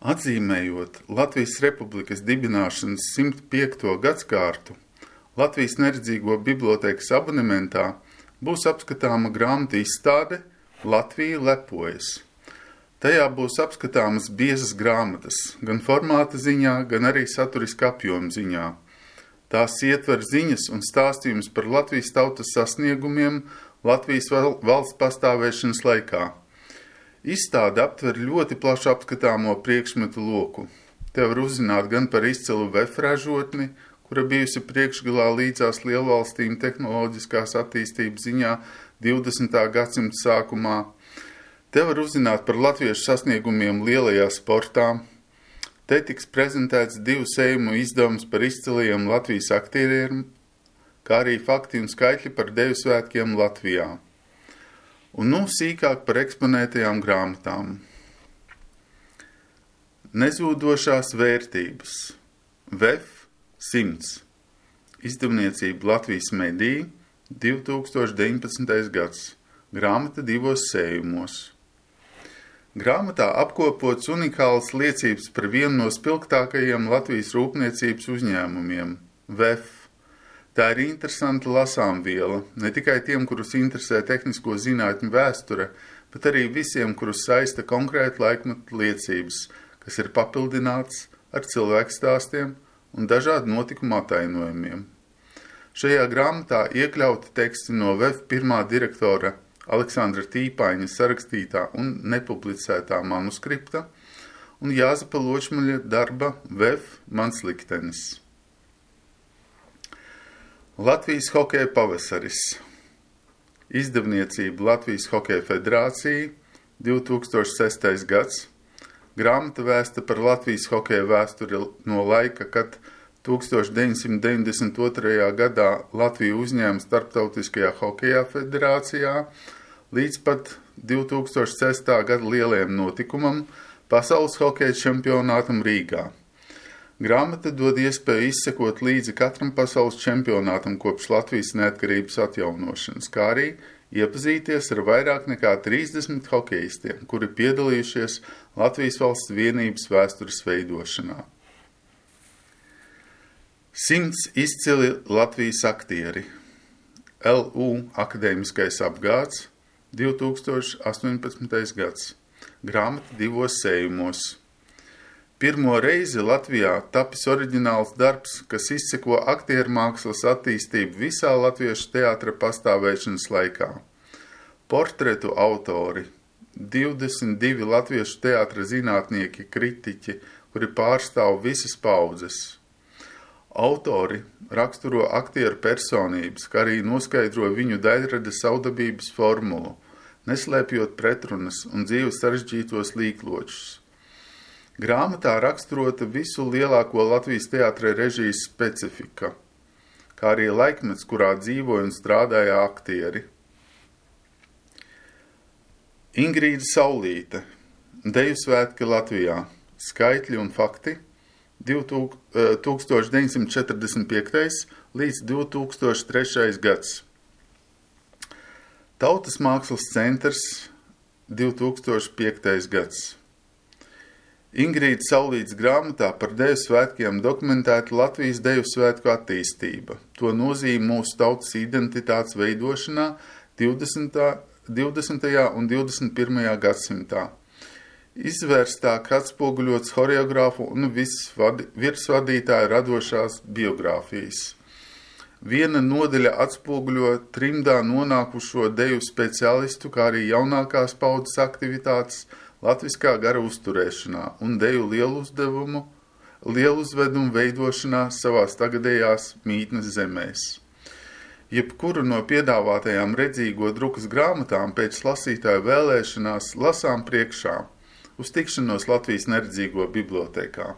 Atzīmējot Latvijas Republikas dibināšanas 105. gadskārtu, Latvijas neredzīgo bibliotēkas abonementā būs apskatāma grāmatu izstāde Latvija lepojas. Tajā būs apskatāmas biezas grāmatas, gan formāta ziņā, gan arī saturiska apjoma ziņā. Tās ietver ziņas un stāstījumus par Latvijas tautas sasniegumiem Latvijas valsts pastāvēšanas laikā. Izstāde aptver ļoti plašu apskatāmo priekšmetu loku. Te var uzzināt gan par izcilu VEF ražotni, kura bijusi priekšgalā līdzās lielvalstīm tehnoloģiskās attīstības ziņā 20. gadsimta sākumā. Te var uzzināt par latviešu sasniegumiem lielajā sportā. Te tiks prezentēts 2 sējumu izdevums par izcilajiem Latvijas aktieriem, kā arī fakti un skaitļi par deju svētkiem Latvijā. Un nu sīkāk par eksponētajām grāmatām. Nezūdošās vērtības. VEF 100. Izdevniecība Latvijas mediji 2019. gads. Grāmata 2 sējumos. Grāmatā apkopots unikāls liecības par vienu no spilgtākajiem Latvijas rūpniecības uzņēmumiem – VEF. Tā ir interesanta lasāmviela, ne tikai tiem, kurus interesē tehnisko zinātņu vēsture, bet arī visiem, kurus saista konkrēti laikmeta liecības, kas ir papildināts ar cilvēku stāstiem un dažādu notikumu atainojumiem. Šajā grāmatā iekļauti teksti no VEF pirmā direktora Aleksandra Tīpaņa sarakstītā un nepublicētā manuskripta un Jāzepa Ločmaļa darba VEF Mans liktenis. Latvijas hokeja pavasaris. Izdevniecība Latvijas hokeja federācija 2006. gads. Grāmata vēsta par Latvijas hokeja vēsturi no laika, kad 1992. gadā Latvija uzņēma Starptautiskajā hokeja federācijā līdz pat 2006. gada lielajam notikumam Pasaules hokeja čempionātam Rīgā. Grāmata dod iespēju izsekot līdzi katram pasaules čempionātam kopš Latvijas neatkarības atjaunošanas, kā arī iepazīties ar vairāk nekā 30 hokejistiem, kuri piedalījušies Latvijas valsts vienības vēstures veidošanā. 100 izcili Latvijas aktieri. LU akadēmiskais apgāds 2018. gads. Grāmata 2 sējumos. Pirmo reizi Latvijā tapis oriģināls darbs, kas izseko aktieru mākslas attīstību visā latviešu teātra pastāvēšanas laikā. Portretu autori, 22 latviešu teātra zinātnieki, kritiķi, kuri pārstāv visas paudzes. Autori raksturo aktieru personības, kā arī noskaidro viņu daļradas savdabības formulu, neslēpjot pretrunas un dzīves sarežģītos līkločus. Grāmatā raksturota visu lielāko Latvijas teātra režijas specifika, kā arī laikmets, kurā dzīvoja un strādāja aktieri. Ingrīda Saulīte, Deju svētki Latvijā, skaitļi un fakti 1945. līdz 2003. gads. Tautas mākslas centrs 2005. gads. Ingrīda Saulītes grāmatā par deju svētkiem dokumentēta Latvijas deju svētku attīstība, to nozīme mūsu tautas identitātes veidošanā 20. un 21. gadsimtā. Izvērstāk atspoguļots horeogrāfu un virsvadītāju radošās biogrāfijas. Viena nodaļa atspoguļo trimdā nonākušo deju speciālistu, kā arī jaunākās paudzes aktivitātes latviskā gara uzturēšanā un deju lieluzvedumu veidošanā savās tagadējās mītnes zemēs. Jebkuru no piedāvātajām redzīgo drukas grāmatām pēc lasītāju vēlēšanās lasām priekšā uz tikšanos Latvijas neredzīgo bibliotēkā.